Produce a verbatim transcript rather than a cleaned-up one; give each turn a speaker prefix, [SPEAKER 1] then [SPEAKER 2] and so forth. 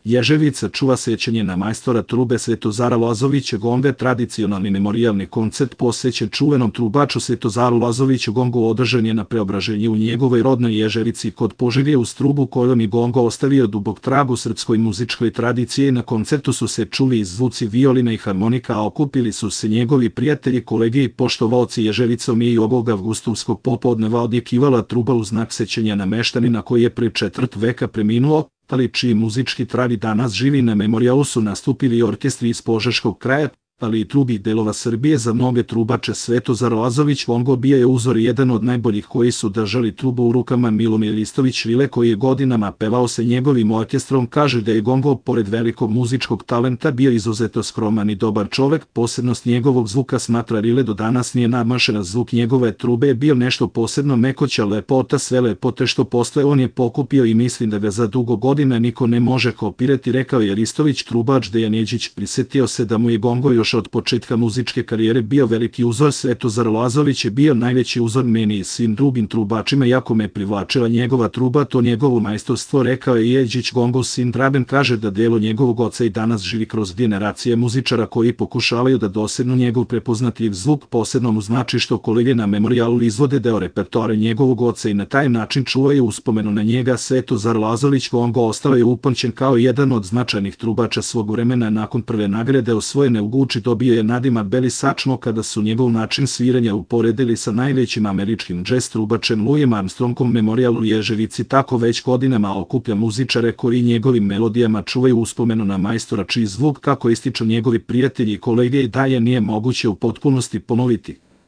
[SPEAKER 1] Ježevica čuva sećanje na majstora trube Svetozara Lazovića Gonga. Tradicionalni memorijalni koncert posvećen čuvenom trubaču Svetozaru Lazoviću Gongu održan je na Preobraženju u njegovoj rodnoj Ježevici kod Požege uz trubu kojom je Gongo ostavio dubok trag u srpskoj muzičkoj tradiciji. Na koncertu su se čuli i zvuci violina i harmonika, a okupili su se njegovi prijatelji, kolege i poštovaoci. Ježevicom je i ovog avgustovskog popodneva odjekivala truba u znak sećanja na meštanina koji je pre četvrt veka preminuo, ali čiji muzički trag danas živi. Na memorijalu su nastupili orkestri iz Požeškog kraja, ali i drugih delova Srbije. Za mnoge trubače Svetozar Lazović Gongo bio je uzor, jedan od najboljih koji su držali trubu u rukama. Milomir Ristović Rile, koji je godinama pevao sa njegovim orkestrom, kaže da je Gongo pored velikog muzičkog talenta bio izuzetno skroman i dobar čovek. Posebnost njegovog zvuka, smatra Rile, do danas nije nadmašena. Zvuk njegove trube je bio nešto posebno, mekoća lepota, sve lepote što postoje on je pokupio i mislim da ga za dugo godina niko ne može kopirati, rekao je Ristović. Trubač Dejan Jeđić prisetio se da mu je Gongo još od početka muzičke karijere bio veliki uzor. Svetozar Lazović je bio najveći uzor meni i svim drugim trubačima, jako me privlačila njegova truba, to njegovo majstorstvo, rekao je Jeđić. Gongov sin Dragan kaže da delo njegovog oca i danas živi kroz generacije muzičara koji pokušavaju da dosegnu njegov prepoznatljiv zvuk. Posebno mu znači što kolege na memorijalu izvode deo repertoara njegovog oca i na taj način čuvaju uspomenu na njega. Svetozar Lazović Gongo ostao je upamćen kao jedan od značajnih trubača svog vremena. Nakon prve nagrade osvojene u Guči dobio je nadimak Beli Sačno kada su njegov način sviranja uporedili sa najvećim američkim džez trubačem Louisem Armstrongom. Memorial u Ježevici tako već godinama okuplja muzičare koji njegovim melodijama čuvaju uspomenu na majstora čiji zvuk, kako ističu njegovi prijatelji i kolege, i dalje nije moguće u potpunosti ponoviti.